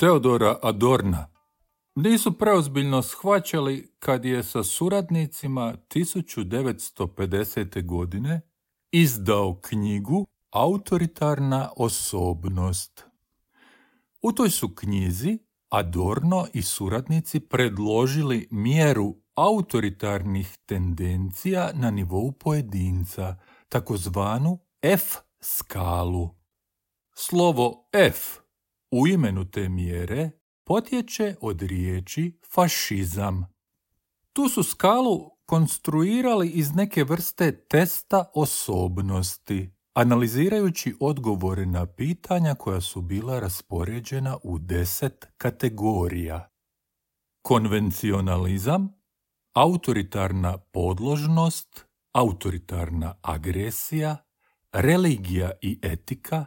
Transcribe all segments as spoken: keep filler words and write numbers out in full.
Teodora Adorna nisu preozbiljno shvaćali kad je sa suradnicima tisuću devetsto pedesete. godine izdao knjigu Autoritarna osobnost. U toj su knjizi Adorno i suradnici predložili mjeru autoritarnih tendencija na nivou pojedinca, takozvanu F-skalu. Slovo F u imenu te mjere potječe od riječi fašizam. Tu su skalu konstruirali iz neke vrste testa osobnosti, analizirajući odgovore na pitanja koja su bila raspoređena u deset kategorija. Konvencionalizam, autoritarna podložnost, autoritarna agresija, religija i etika,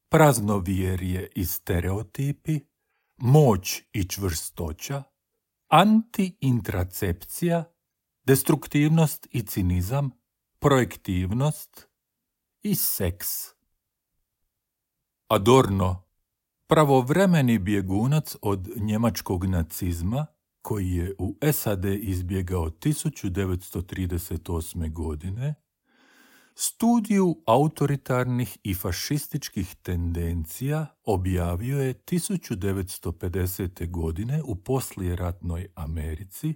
praznovjerje i stereotipi, moć i čvrstoća, anti-intracepcija, destruktivnost i cinizam, projektivnost i seks. Adorno, pravovremeni bjegunac od njemačkog nacizma, koji je u S A D izbjegao tisuću devetsto trideset osme. godine, studiju autoritarnih i fašističkih tendencija objavio je tisuću devetsto pedesete. godine u poslijeratnoj Americi,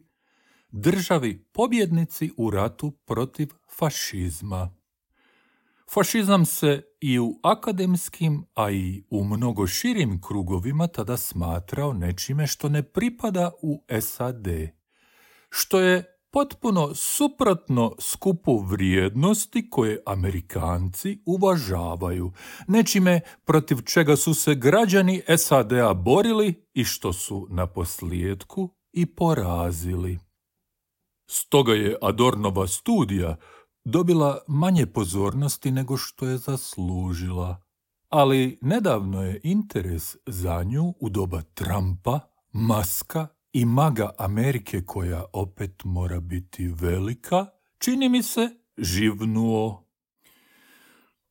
državi pobjednici u ratu protiv fašizma. Fašizam se i u akademskim, a i u mnogo širim krugovima tada smatrao nečime što ne pripada u S A D, što je potpuno suprotno skupu vrijednosti koje Amerikanci uvažavaju, nečime protiv čega su se građani S A D-a borili i što su na posljedku i porazili. Stoga je Adornova studija dobila manje pozornosti nego što je zaslužila, ali nedavno je interes za nju u doba Trumpa, Muska i maga Amerike, koja opet mora biti velika, čini mi se živnuo.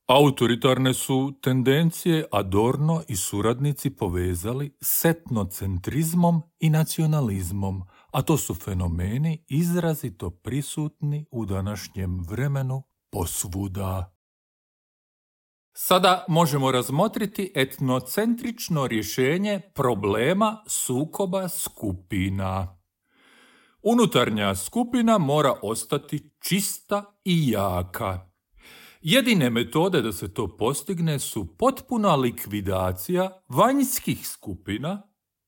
Autoritarne su tendencije Adorno i suradnici povezali s etnocentrizmom i nacionalizmom, a to su fenomeni izrazito prisutni u današnjem vremenu posvuda. Sada možemo razmotriti etnocentrično rješenje problema sukoba skupina. Unutarnja skupina mora ostati čista i jaka. Jedine metode da se to postigne su potpuna likvidacija vanjskih skupina,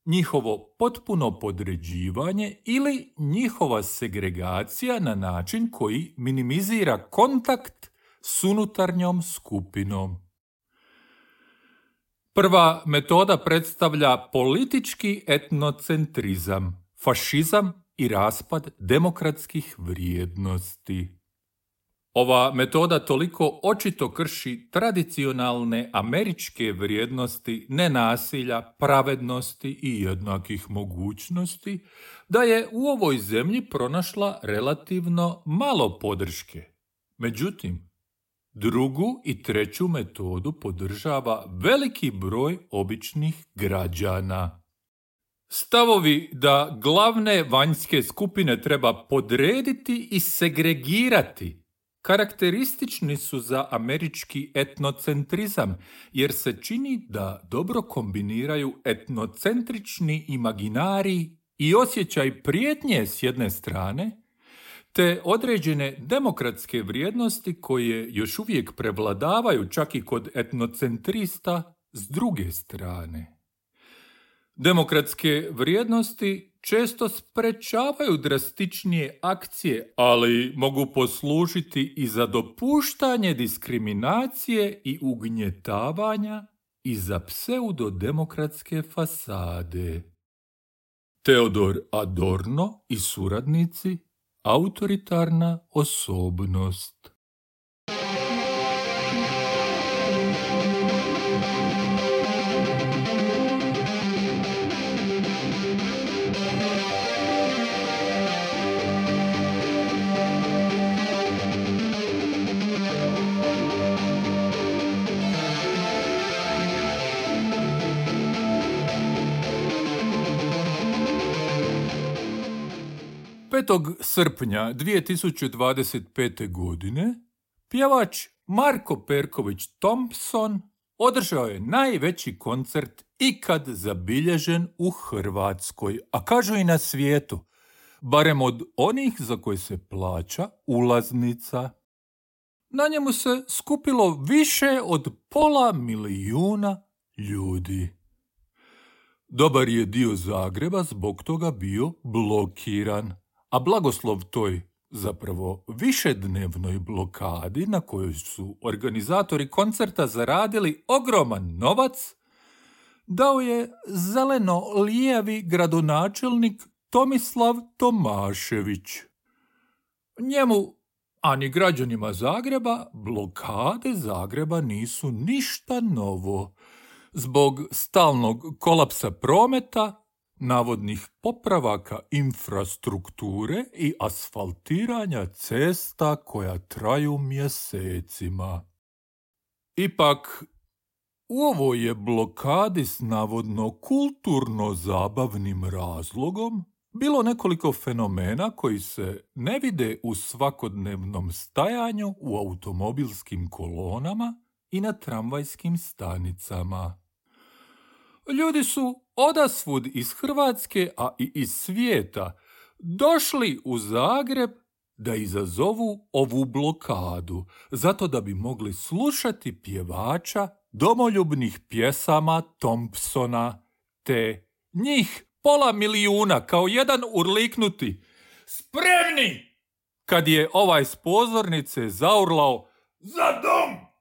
njihovo potpuno podređivanje ili njihova segregacija na način koji minimizira kontakt s unutarnjom skupinom. Prva metoda predstavlja politički etnocentrizam, fašizam i raspad demokratskih vrijednosti. Ova metoda toliko očito krši tradicionalne američke vrijednosti nenasilja, pravednosti i jednakih mogućnosti, da je u ovoj zemlji pronašla relativno malo podrške. Međutim, drugu i treću metodu podržava veliki broj običnih građana. Stavovi da glavne vanjske skupine treba podrediti i segregirati karakteristični su za američki etnocentrizam, jer se čini da dobro kombiniraju etnocentrični imaginarij i osjećaj prijetnje s jedne strane, te određene demokratske vrijednosti koje još uvijek prevladavaju čak i kod etnocentrista s druge strane. Demokratske vrijednosti često sprečavaju drastičnije akcije, ali mogu poslužiti i za dopuštanje diskriminacije i ugnjetavanja i za pseudodemokratske fasade. Teodor Adorno i suradnici, autoritarna osobnost. petog srpnja dvije tisuće dvadeset pete. godine pjevač Marko Perković Thompson održao je najveći koncert ikad zabilježen u Hrvatskoj, a kažu i na svijetu, barem od onih za koje se plaća ulaznica. Na njemu se skupilo više od pola milijuna ljudi. Dobar je dio Zagreba zbog toga bio blokiran, a blagoslov toj zapravo višednevnoj blokadi na kojoj su organizatori koncerta zaradili ogroman novac, dao je zeleno-lijevi gradonačelnik Tomislav Tomašević. Njemu, a ni građanima Zagreba, blokade Zagreba nisu ništa novo. Zbog stalnog kolapsa prometa, navodnih popravaka infrastrukture i asfaltiranja cesta koja traju mjesecima. Ipak, u ovoj je blokadi s navodno kulturno-zabavnim razlogom bilo nekoliko fenomena koji se ne vide u svakodnevnom stajanju u automobilskim kolonama i na tramvajskim stanicama. Ljudi su odasvud iz Hrvatske, a i iz svijeta, došli u Zagreb da izazovu ovu blokadu, zato da bi mogli slušati pjevača domoljubnih pjesama Thompsona, te njih pola milijuna kao jedan urliknuti spremni kad je ovaj s pozornice zaurlao za dom.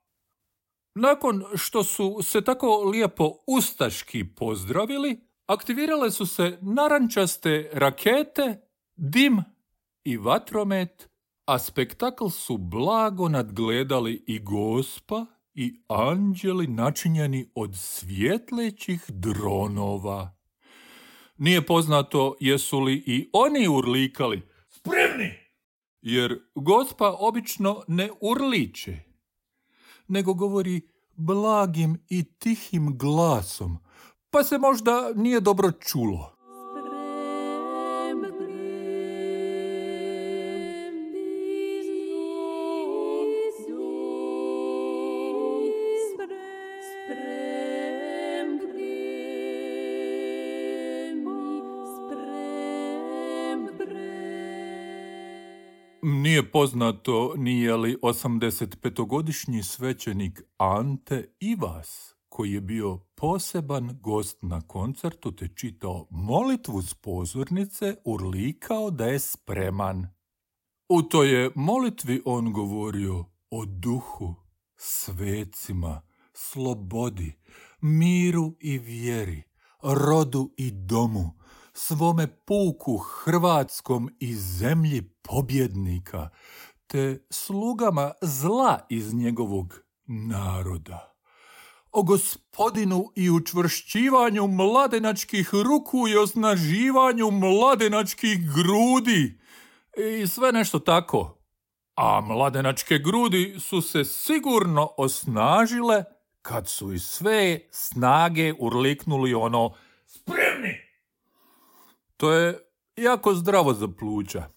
Nakon što su se tako lijepo ustaški pozdravili, aktivirale su se narančaste rakete, dim i vatromet, a spektakl su blago nadgledali i Gospa i anđeli načinjeni od svjetlećih dronova. Nije poznato jesu li i oni urlikali spremni, jer Gospa obično ne urliče, nego govori blagim i tihim glasom, pa se možda nije dobro čulo. Nije poznato nije li osamdesetpetogodišnji svećenik Ante Ivas, koji je bio poseban gost na koncertu te čitao molitvu s pozornice, urlikao da je spreman. U toj je molitvi on govorio o duhu, svecima, slobodi, miru i vjeri, rodu i domu, svome puku hrvatskom i zemlji pobjednika, te slugama zla iz njegovog naroda. O gospodinu i učvršćivanju mladenačkih ruku i osnaživanju mladenačkih grudi i sve nešto tako. A mladenačke grudi su se sigurno osnažile kad su iz sve snage urliknuli ono spremni. To je jako zdravo za pluća.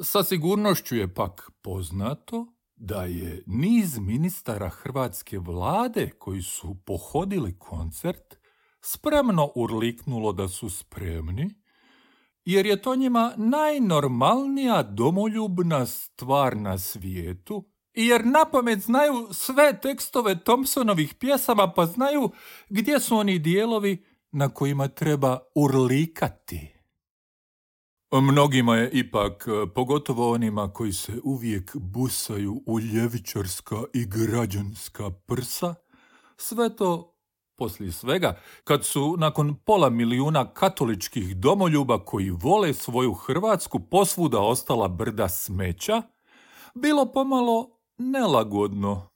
Sa sigurnošću je pak poznato da je niz ministara hrvatske vlade koji su pohodili koncert spremno urliknulo da su spremni, jer je to njima najnormalnija domoljubna stvar na svijetu i jer napamet znaju sve tekstove Thompsonovih pjesama, pa znaju gdje su oni dijelovi na kojima treba urlikati. Mnogima je ipak, pogotovo onima koji se uvijek busaju u ljevičarska i građanska prsa, sve to, poslije svega, kad su nakon pola milijuna katoličkih domoljuba koji vole svoju Hrvatsku posvuda ostala brda smeća, bilo pomalo nelagodno.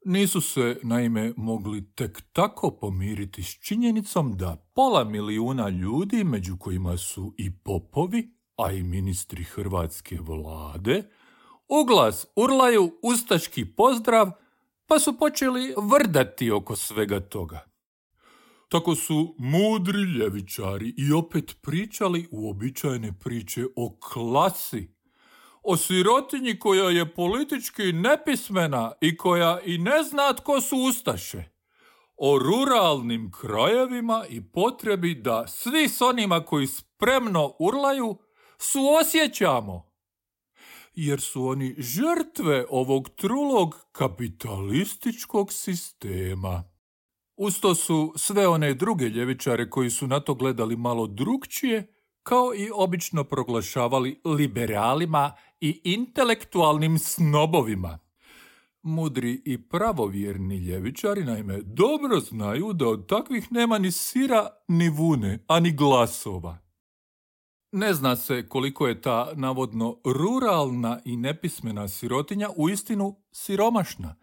Nisu se, naime, mogli tek tako pomiriti s činjenicom da pola milijuna ljudi, među kojima su i popovi, a i ministri hrvatske vlade, uglas urlaju ustaški pozdrav, pa su počeli vrdati oko svega toga. Tako su mudri ljevičari i opet pričali uobičajene priče o klasi, o sirotinji koja je politički nepismena i koja i ne zna tko su ustaše, o ruralnim krajevima i potrebi da svi s onima koji spremno urlaju suosjećamo, jer su oni žrtve ovog trulog kapitalističkog sistema. Usto su sve one druge ljevičare koji su na to gledali malo drukčije, kao i obično proglašavali liberalima i intelektualnim snobovima. Mudri i pravovjerni ljevičari naime dobro znaju da od takvih nema ni sira, ni vune, a ni glasova. Ne zna se koliko je ta navodno ruralna i nepismena sirotinja uistinu siromašna,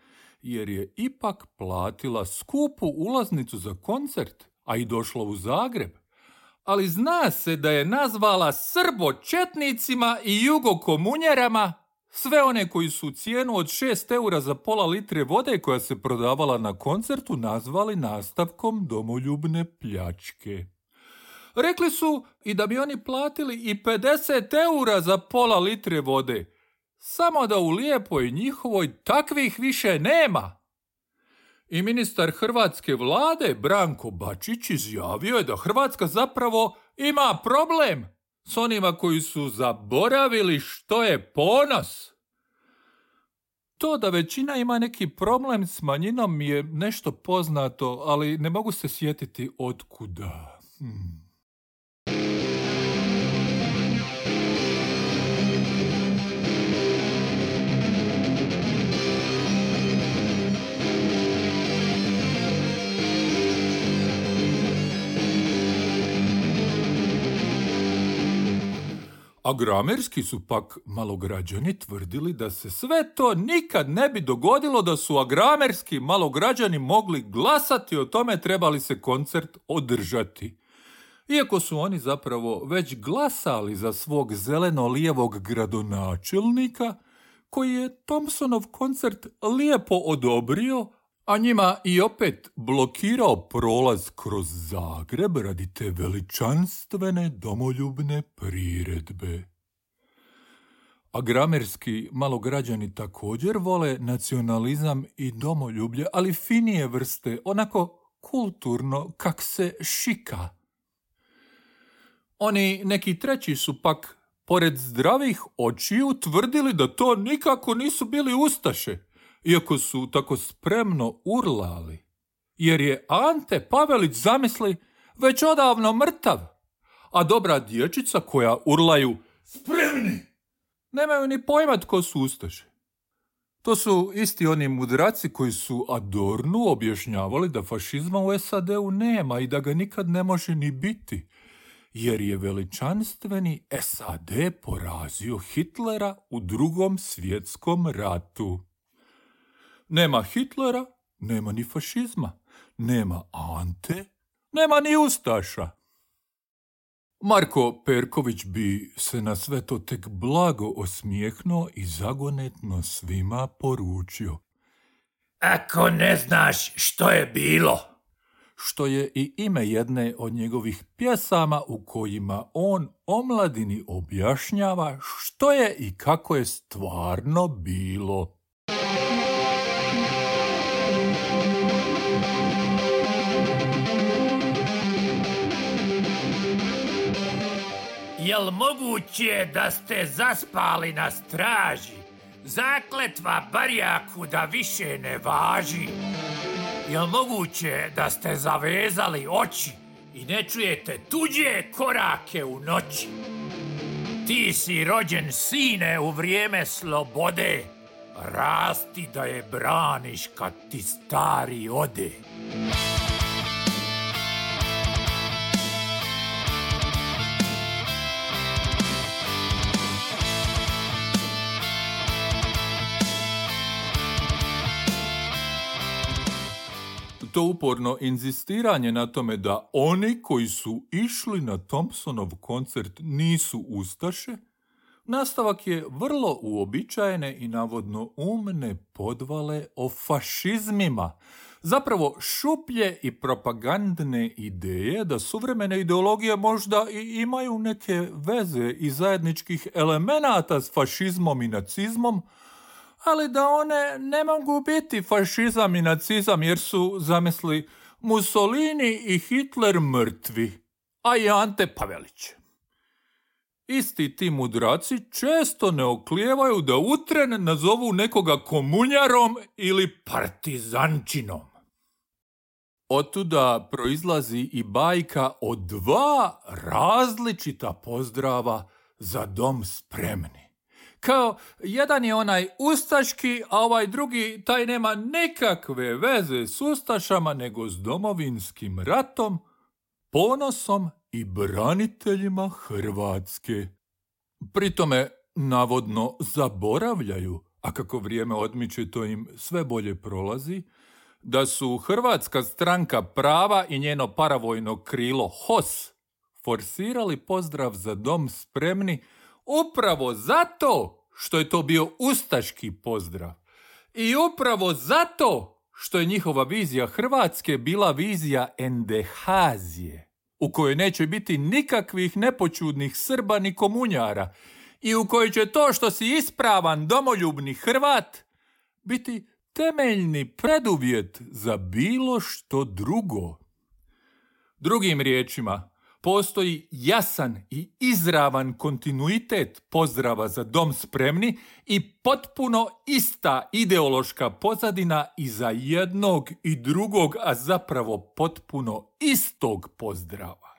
jer je ipak platila skupu ulaznicu za koncert, a i došla u Zagreb. Ali zna se da je nazvala srbočetnicima i jugokomunjerama sve one koji su cijenu od šest eura za pola litre vode koja se prodavala na koncertu nazvali nastavkom domoljubne pljačke. Rekli su i da bi oni platili i pedeset eura za pola litre vode, samo da u lijepoj njihovoj takvih više nema. I ministar hrvatske vlade Branko Bačić izjavio je da Hrvatska zapravo ima problem s onima koji su zaboravili što je ponos. To da većina ima neki problem s manjinom mi je nešto poznato, ali ne mogu se sjetiti otkuda. Hmm. A gramerski su pak malograđani tvrdili da se sve to nikad ne bi dogodilo da su agramerski malograđani mogli glasati o tome treba li se koncert održati. Iako su oni zapravo već glasali za svog zeleno-lijevog gradonačelnika, koji je Thompsonov koncert lijepo odobrio, a njima i opet blokirao prolaz kroz Zagreb radi te veličanstvene domoljubne priredbe. A gramerski malograđani također vole nacionalizam i domoljublje, ali finije vrste, onako kulturno kak se šika. Oni neki treći su pak, pored zdravih očiju, tvrdili da to nikako nisu bili ustaše, iako su tako spremno urlali, jer je Ante Pavelić, zamisli, već odavno mrtav, a dobra dječica koja urlaju spremni nemaju ni pojma tko su ustaše. To su isti oni mudraci koji su Adornu objašnjavali da fašizma u S A D-u nema i da ga nikad ne može ni biti, jer je veličanstveni S A D porazio Hitlera u Drugom svjetskom ratu. Nema Hitlera, nema ni fašizma, nema Ante, nema ni ustaša. Marko Perković bi se na sve to tek blago osmijehnuo i zagonetno svima poručio: Ako ne znaš što je bilo. Što je i ime jedne od njegovih pjesama u kojima on omladini objašnjava što je i kako je stvarno bilo. Jel moguće da ste zaspali na straži? Zakletva barjaku da više ne važi. Jel moguće da ste zavezali oči i ne čujete tuđe korake u noći? Ti si rođen, sine, u vrijeme slobode. Rasti da je braniš kad ti stari ode. To uporno inzistiranje na tome da oni koji su išli na Thompsonov koncert nisu ustaše, nastavak je vrlo uobičajene i navodno umne podvale o fašizmima, zapravo šuplje i propagandne ideje da suvremene ideologije možda i imaju neke veze i zajedničkih elemenata s fašizmom i nacizmom, ali da one ne mogu biti fašizam i nacizam jer su, zamisli, Mussolini i Hitler mrtvi, a i Ante Pavelić. Isti ti mudraci često ne oklijevaju da u tren nazovu nekoga komunjarom ili partizančinom. Otuda proizlazi i bajka o dva različita pozdrava za dom spremni. Kao, jedan je onaj ustaški, a ovaj drugi, taj nema nikakve veze s ustašama, nego s domovinskim ratom, ponosom i braniteljima Hrvatske. Pritome, navodno, zaboravljaju, a kako vrijeme odmiče to im sve bolje prolazi, da su Hrvatska stranka prava i njeno paravojno krilo H O S forsirali pozdrav za dom spremni upravo zato što je to bio ustaški pozdrav. I upravo zato što je njihova vizija Hrvatske bila vizija endehazije, u kojoj neće biti nikakvih nepoćudnih Srba ni komunjara i u kojoj će to što si ispravan domoljubni Hrvat biti temeljni preduvjet za bilo što drugo. Drugim riječima, postoji jasan i izravan kontinuitet pozdrava za dom spremni i potpuno ista ideološka pozadina iza jednog i drugog, a zapravo potpuno istog pozdrava.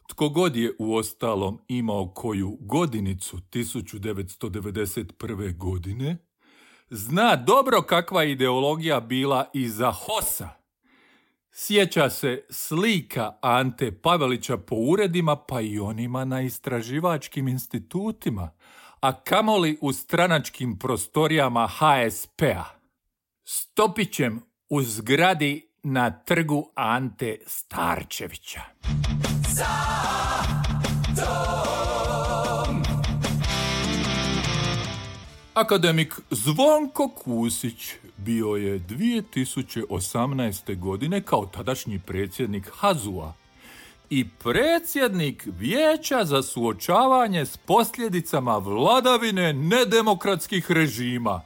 Tko god je uostalom imao koju godinicu tisuću devetsto devedeset prve. godine, zna dobro kakva ideologija bila iza H O S-a. Sjeća se slika Ante Pavelića po uredima, pa i onima na istraživačkim institutima, a kamoli u stranačkim prostorijama H S P-a. Stopićem u zgradi na trgu Ante Starčevića. Za dom! Akademik Zvonko Kusić bio je dvije tisuće osamnaeste. godine kao tadašnji predsjednik H A Z U-a i predsjednik Vijeća za suočavanje s posljedicama vladavine nedemokratskih režima,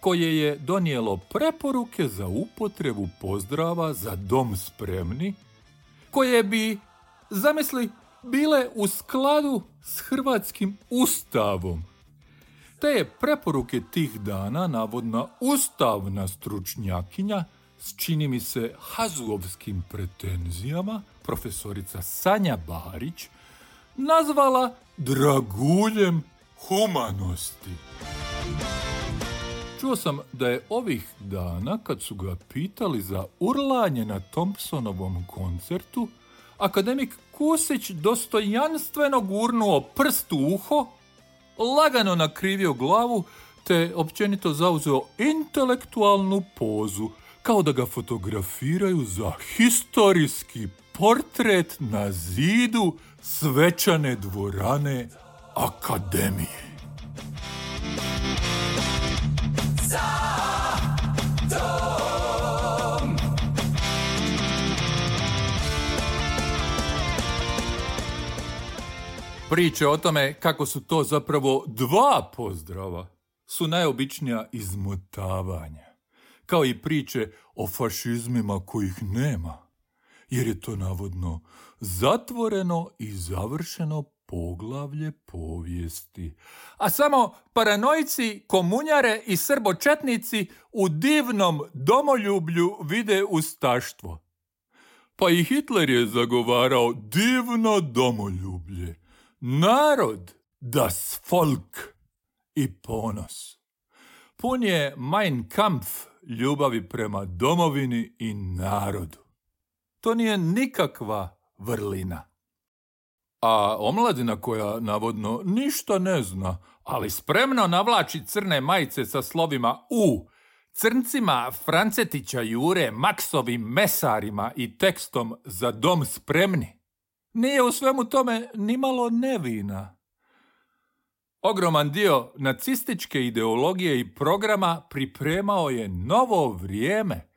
koje je donijelo preporuke za upotrebu pozdrava za dom spremni, koje bi, zamisli, bile u skladu s hrvatskim ustavom. Te je preporuke tih dana navodna ustavna stručnjakinja s, čini mi se, hazovskim pretenzijama, profesorica Sanja Barić, nazvala draguljem humanosti. Čuo sam da je ovih dana, kad su ga pitali za urlanje na Thompsonovom koncertu, akademik Kusić dostojanstveno gurnuo prst u uho, lagano nakrivio glavu, te općenito zauzeo intelektualnu pozu, kao da ga fotografiraju za historijski portret na zidu svečane dvorane akademije. Za dom! Priče o tome kako su to zapravo dva pozdrava su najobičnija izmotavanja, kao i priče o fašizmima kojih nema, jer je to navodno zatvoreno i završeno poglavlje povijesti. A samo paranoici, komunjare i srbočetnici u divnom domoljublju vide ustaštvo. Pa i Hitler je zagovarao divno domoljublje, narod, das Volk i ponos. Pun je Mein Kampf ljubavi prema domovini i narodu. To nije nikakva vrlina. A omladina koja navodno ništa ne zna, ali spremno navlači crne majice sa slovima U, crncima Francetića Jure, Maksovim mesarima i tekstom za dom spremni, nije u svemu tome nimalo nevina. Ogroman dio nacističke ideologije i programa pripremao je novo vrijeme,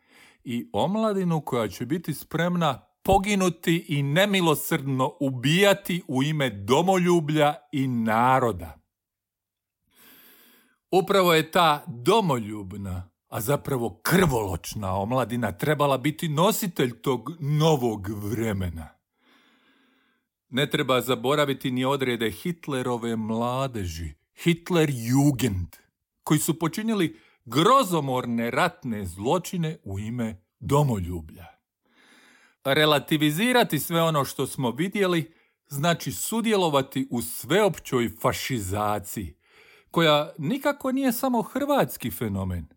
i omladinu koja će biti spremna poginuti i nemilosrdno ubijati u ime domoljublja i naroda. Upravo je ta domoljubna, a zapravo krvoločna omladina trebala biti nositelj tog novog vremena. Ne treba zaboraviti ni odrede Hitlerove mladeži, Hitlerjugend, koji su počinili grozomorne ratne zločine u ime domoljublja. Relativizirati sve ono što smo vidjeli znači sudjelovati u sveopćoj fašizaciji, koja nikako nije samo hrvatski fenomen,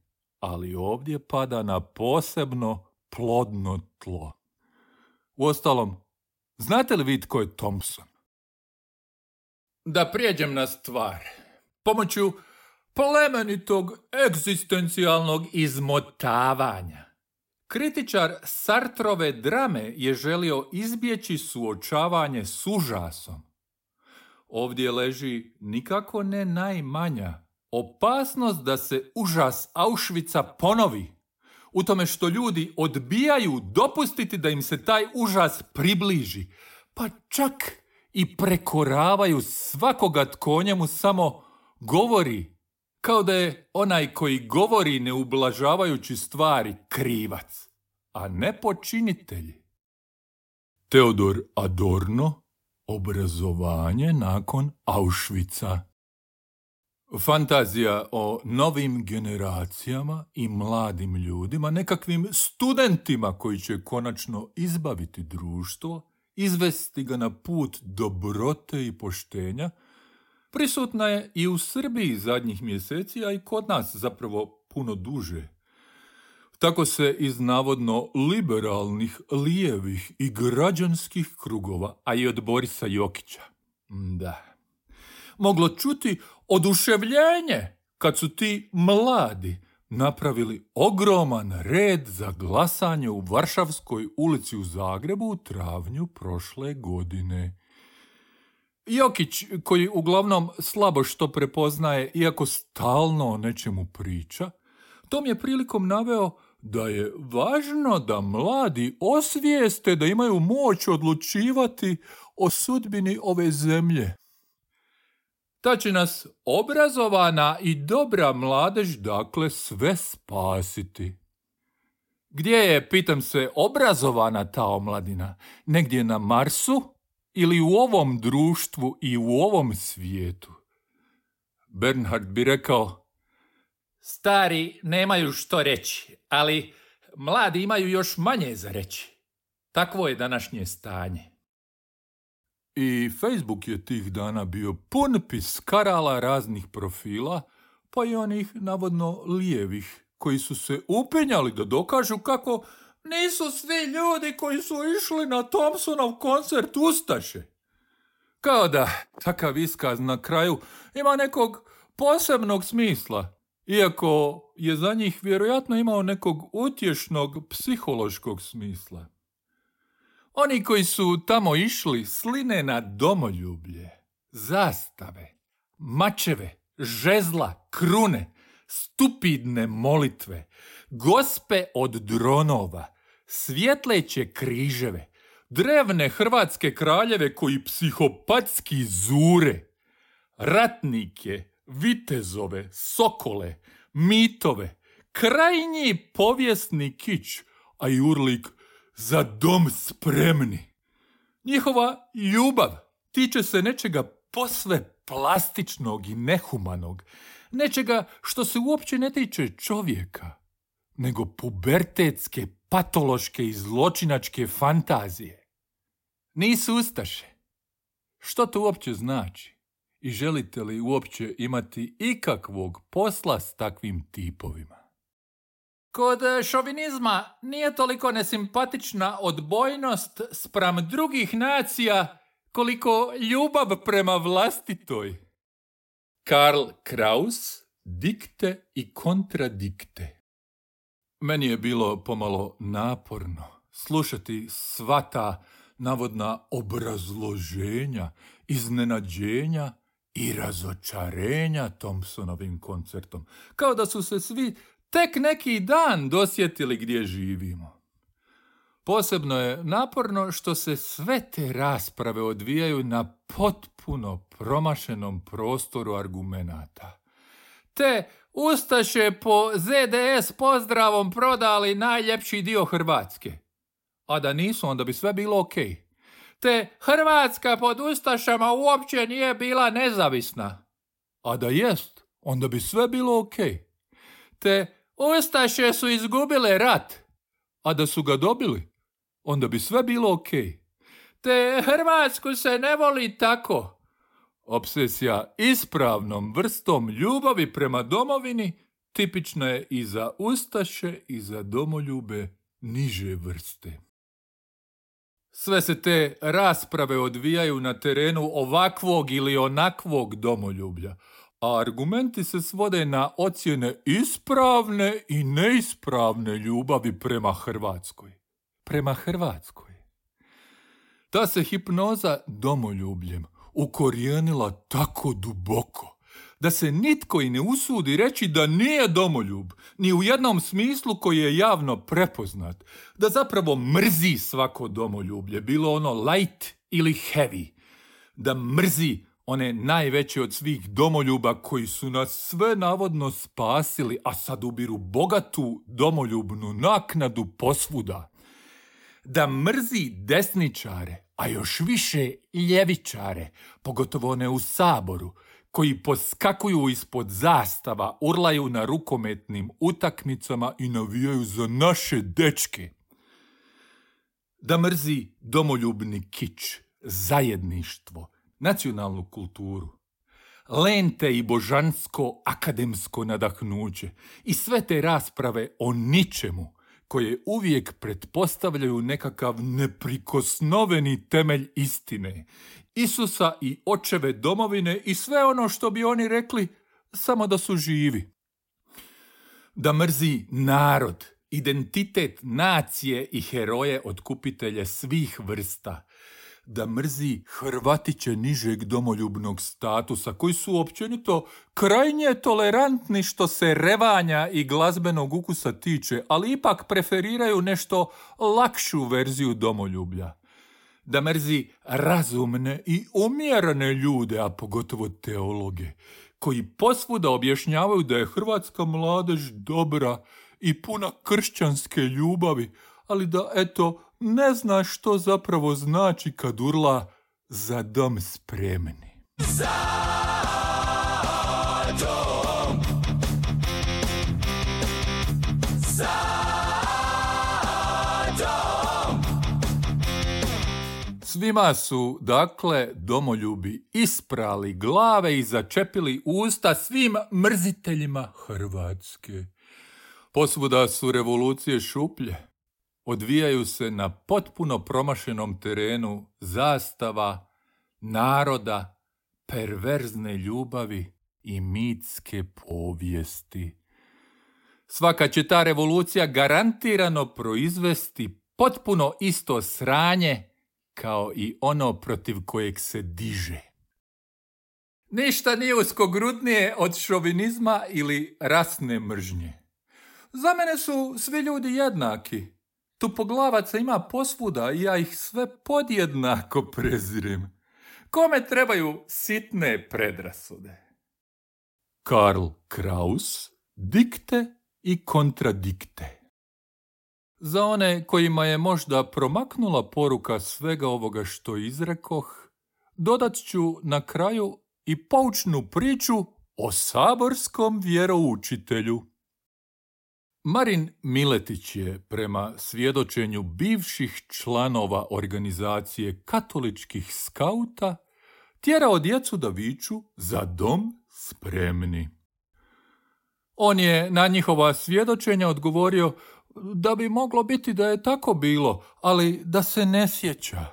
ali ovdje pada na posebno plodno tlo. Uostalom, znate li vi tko je Thompson? Da prijeđem na stvar. Pomoću plemenitog egzistencijalnog izmotavanja, kritičar Sartrove drame je želio izbjeći suočavanje s užasom. Ovdje leži nikako ne najmanja opasnost da se užas Auschwitza ponovi, u tome što ljudi odbijaju dopustiti da im se taj užas približi, pa čak i prekoravaju svakoga tko o njemu samo govori, kao da je onaj koji govori ne ublažavajući stvari krivac, a ne počinitelj. Teodor Adorno, obrazovanje nakon Auschwitza. Fantazija o novim generacijama i mladim ljudima, nekakvim studentima koji će konačno izbaviti društvo, izvesti ga na put dobrote i poštenja, prisutna je i u Srbiji zadnjih mjeseci, a i kod nas zapravo puno duže. Tako se iz navodno liberalnih, lijevih i građanskih krugova, a i od Borisa Jokića, da, moglo čuti oduševljenje kad su ti mladi napravili ogroman red za glasanje u Varšavskoj ulici u Zagrebu u travnju prošle godine. Jokić, koji uglavnom slabo što prepoznaje, iako stalno o nečemu priča, tom je prilikom naveo da je važno da mladi osvijeste da imaju moć odlučivati o sudbini ove zemlje. Ta će nas obrazovana i dobra mladež dakle sve spasiti. Gdje je, pitam se, obrazovana ta omladina? Negdje na Marsu ili u ovom društvu i u ovom svijetu? Bernhard bi rekao: stari nemaju što reći, ali mladi imaju još manje za reći. Takvo je današnje stanje. I Facebook je tih dana bio pun piskarala raznih profila, pa i onih navodno lijevih, koji su se upenjali da dokažu kako nisu svi ljudi koji su išli na Thompsonov koncert ustaše. Kao da takav iskaz na kraju ima nekog posebnog smisla, iako je za njih vjerojatno imao nekog utješnog psihološkog smisla. Oni koji su tamo išli sline na domoljublje, zastave, mačeve, žezla, krune, stupidne molitve, gospe od dronova, svjetleće križeve, drevne hrvatske kraljeve koji psihopatski zure, ratnike, vitezove, sokole, mitove, krajnji povijesni kič, a i urlik za dom spremni. Njihova ljubav tiče se nečega posve plastičnog i nehumanog, nečega što se uopće ne tiče čovjeka, nego pubertetske, patološke i zločinačke fantazije. Nisu ustaše. Što to uopće znači? I želite li uopće imati ikakvog posla s takvim tipovima? Kod šovinizma nije toliko nesimpatična odbojnost spram drugih nacija koliko ljubav prema vlastitoj. Karl Kraus, dikte i kontradikte. Meni je bilo pomalo naporno slušati sva ta navodna obrazloženja, iznenađenja i razočarenja Thompsonovim koncertom, kao da su se svi tek neki dan dosjetili gdje živimo. Posebno je naporno što se sve te rasprave odvijaju na potpuno promašenom prostoru argumenata. Te ustaše po Z D S pozdravom prodali najljepši dio Hrvatske. A da nisu, onda bi sve bilo okej. Te Hrvatska pod ustašama uopće nije bila nezavisna. A da jest, onda bi sve bilo okej. Te ustaše su izgubile rat. A da su ga dobili, onda bi sve bilo okej. Te Hrvatsku se ne voli tako. Obsesija ispravnom vrstom ljubavi prema domovini tipična je i za ustaše i za domoljube niže vrste. Sve se te rasprave odvijaju na terenu ovakvog ili onakvog domoljublja, a argumenti se svode na ocjene ispravne i neispravne ljubavi prema Hrvatskoj. Prema Hrvatskoj. Ta se hipnoza domoljubljem ukorijenila tako duboko da se nitko i ne usudi reći da nije domoljub, ni u jednom smislu koji je javno prepoznat, da zapravo mrzi svako domoljublje, bilo ono light ili heavy, da mrzi one najveće od svih domoljuba koji su nas sve navodno spasili, a sad ubiru bogatu domoljubnu naknadu posvuda, da mrzi desničare, a još više ljevičare, pogotovo one u Saboru, koji poskakuju ispod zastava, urlaju na rukometnim utakmicama i navijaju za naše dečke. Da mrzi domoljubni kič, zajedništvo, nacionalnu kulturu, lente i božansko akademsko nadahnuće i sve te rasprave o ničemu koje uvijek pretpostavljaju nekakav neprikosnoveni temelj istine, Isusa i očeve domovine i sve ono što bi oni rekli samo da su živi. Da mrzi narod, identitet nacije i heroje otkupitelje svih vrsta. Da mrzi Hrvatiće nižeg domoljubnog statusa koji su općenito krajnje tolerantni što se revanja i glazbenog ukusa tiče, ali ipak preferiraju nešto lakšu verziju domoljublja. Da mrzi razumne i umjerene ljude, a pogotovo teologe, koji posvuda objašnjavaju da je hrvatska mladež dobra i puna kršćanske ljubavi, ali da, eto, ne zna što zapravo znači kad urla za dom spremni. Za dom! Za dom! Svima su, dakle, domoljubi isprali glave i začepili usta svim mrziteljima Hrvatske. Posvuda su revolucije šuplje. Odvijaju se na potpuno promašenom terenu zastava, naroda, perverzne ljubavi i mitske povijesti. Svaka će ta revolucija garantirano proizvesti potpuno isto sranje kao i ono protiv kojeg se diže. Ništa nije uskogrudnije od šovinizma ili rasne mržnje. Za mene su svi ljudi jednaki. Tupoglavaca ima posvuda i ja ih sve podjednako prezirem. Kome trebaju sitne predrasude? Karl Kraus, dikte i kontradikte. Za one kojima je možda promaknula poruka svega ovoga što izrekoh, dodat ću na kraju i poučnu priču o saborskom vjeroučitelju. Marin Miletić je, prema svjedočenju bivših članova organizacije katoličkih skauta, tjerao djecu da viču za dom spremni. On je na njihova svjedočenja odgovorio da bi moglo biti da je tako bilo, ali da se ne sjeća.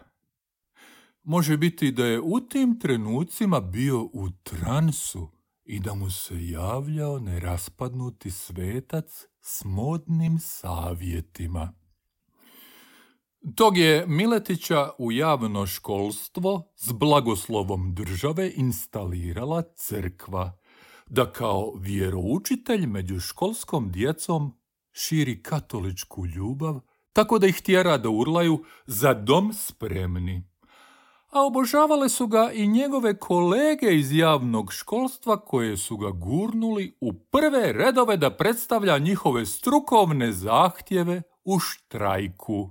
Može biti da je u tim trenucima bio u transu i da mu se javljao neraspadnuti svetac s modnim savjetima. Tog je Miletića u javno školstvo s blagoslovom države instalirala crkva, da kao vjeroučitelj među školskom djecom širi katoličku ljubav, tako da ih tjera da urlaju za dom spremni. A obožavale su ga i njegove kolege iz javnog školstva koje su ga gurnuli u prve redove da predstavlja njihove strukovne zahtjeve u štrajku.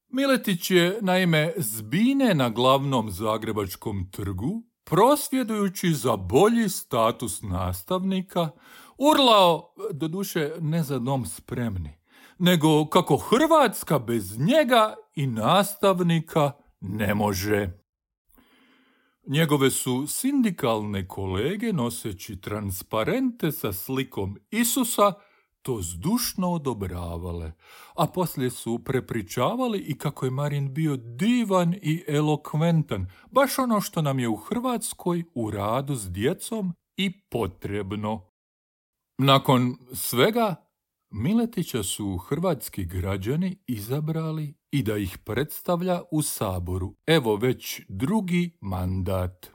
Miletić je, naime, zbine na glavnom zagrebačkom trgu, prosvjedujući za bolji status nastavnika, urlao, doduše ne za dom spremni, nego kako Hrvatska bez njega i nastavnika ne može. Njegove su sindikalne kolege, noseći transparente sa slikom Isusa, to zdušno odobravale, a poslije su prepričavali i kako je Marin bio divan i elokventan, baš ono što nam je u Hrvatskoj u radu s djecom i potrebno. Nakon svega, Miletića su hrvatski građani izabrali i da ih predstavlja u Saboru, evo već drugi mandat.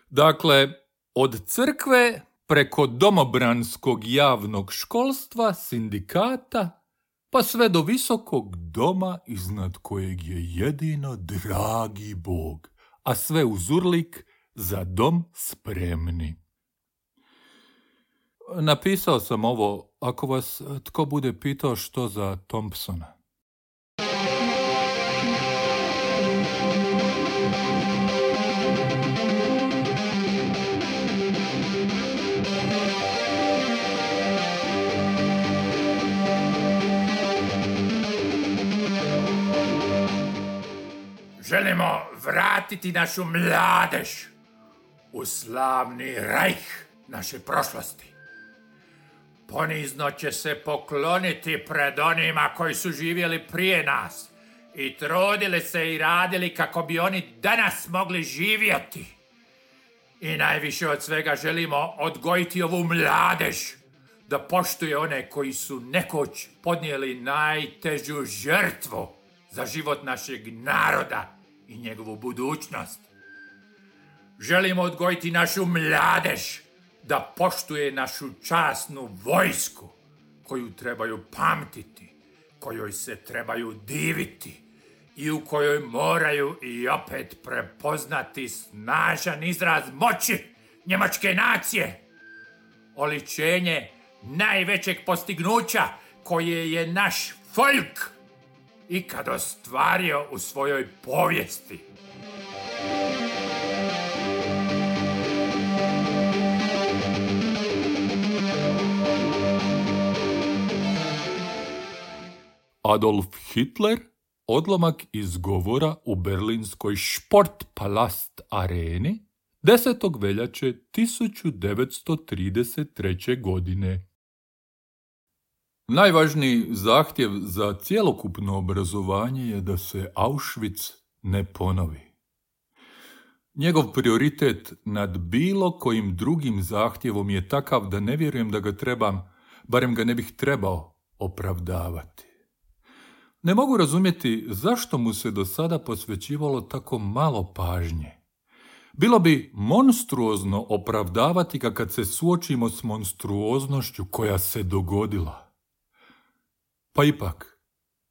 Dakle, od crkve preko domobranskog javnog školstva, sindikata, pa sve do visokog doma iznad kojeg je jedino dragi Bog, a sve uz urlik za dom spremni. Napisao sam ovo, ako vas tko bude pitao što za Thompsona. Želimo vratiti našu mladež u slavni rajh naše prošlosti. Ponizno će se pokloniti pred onima koji su živjeli prije nas i trudili se i radili kako bi oni danas mogli živjeti. I najviše od svega želimo odgojiti ovu mladež da poštuje one koji su nekoć podnijeli najtežu žrtvu za život našeg naroda i njegovu budućnost. Želimo odgojiti našu mladež da poštuje našu časnu vojsku, koju trebaju pamtiti, kojoj se trebaju diviti i u kojoj moraju i opet prepoznati snažan izraz moći njemačke nacije, oličenje najvećeg postignuća koje je naš folk ikad ostvario u svojoj povijesti. Adolf Hitler, odlomak iz govora u berlinskoj Sportpalast areni desetog veljače tisuću devetsto trideset treće. godine. Najvažniji zahtjev za cjelokupno obrazovanje je da se Auschwitz ne ponovi. Njegov prioritet nad bilo kojim drugim zahtjevom je takav da ne vjerujem da ga trebam, barem ga ne bih trebao, opravdavati. Ne mogu razumjeti zašto mu se do sada posvećivalo tako malo pažnje. Bilo bi monstruozno opravdavati ga kad se suočimo s monstruoznošću koja se dogodila. Pa ipak,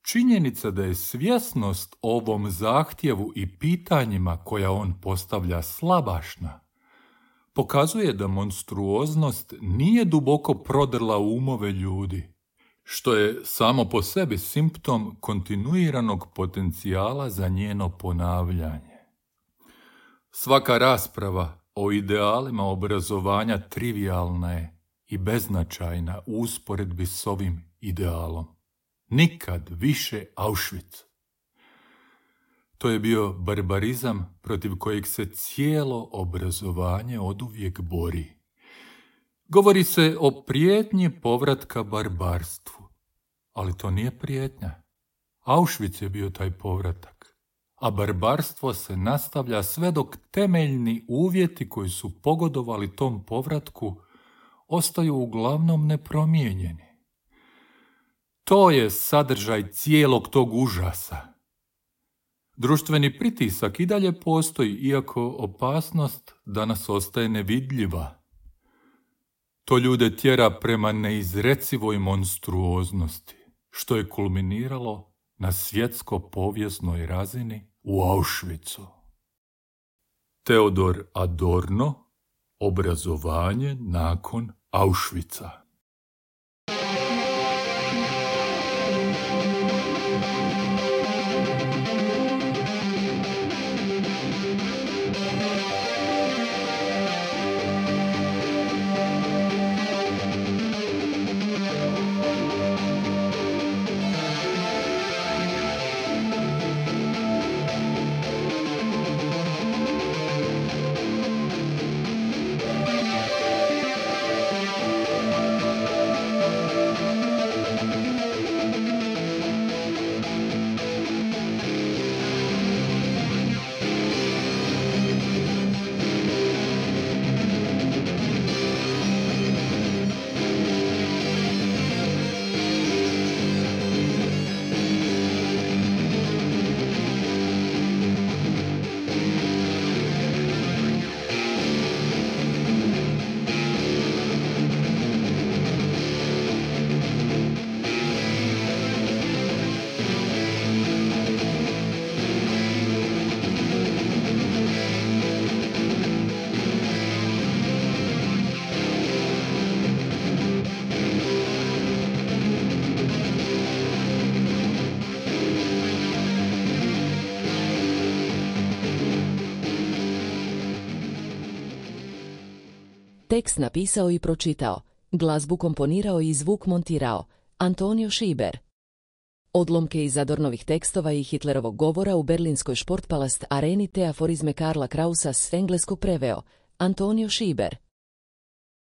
činjenica da je svjesnost o ovom zahtjevu i pitanjima koja on postavlja slabašna, pokazuje da monstruoznost nije duboko prodrla umove ljudi, što je samo po sebi simptom kontinuiranog potencijala za njeno ponavljanje. Svaka rasprava o idealima obrazovanja trivijalna je i beznačajna u usporedbi s ovim idealom. Nikad više Auschwitz. To je bio barbarizam protiv kojeg se cijelo obrazovanje oduvijek bori. Govori se o prijetnji povratka barbarstvu, ali to nije prijetnja. Auschwitz je bio taj povratak, a barbarstvo se nastavlja sve dok temeljni uvjeti koji su pogodovali tom povratku ostaju uglavnom nepromijenjeni. To je sadržaj cijelog tog užasa. Društveni pritisak i dalje postoji, iako opasnost danas ostaje nevidljiva. To ljude tjera prema neizrecivoj monstruoznosti, što je kulminiralo na svjetsko-povijesnoj razini u Auschwitzu. Teodor Adorno, obrazovanje nakon Auschwitza. Tekst napisao i pročitao, glazbu komponirao i zvuk montirao Antonio Šiber. Odlomke iz Adornovih tekstova i Hitlerovog govora u berlinskoj Sportpalast areni te aforizme Karla Krausa s engleskog preveo Antonio Šiber.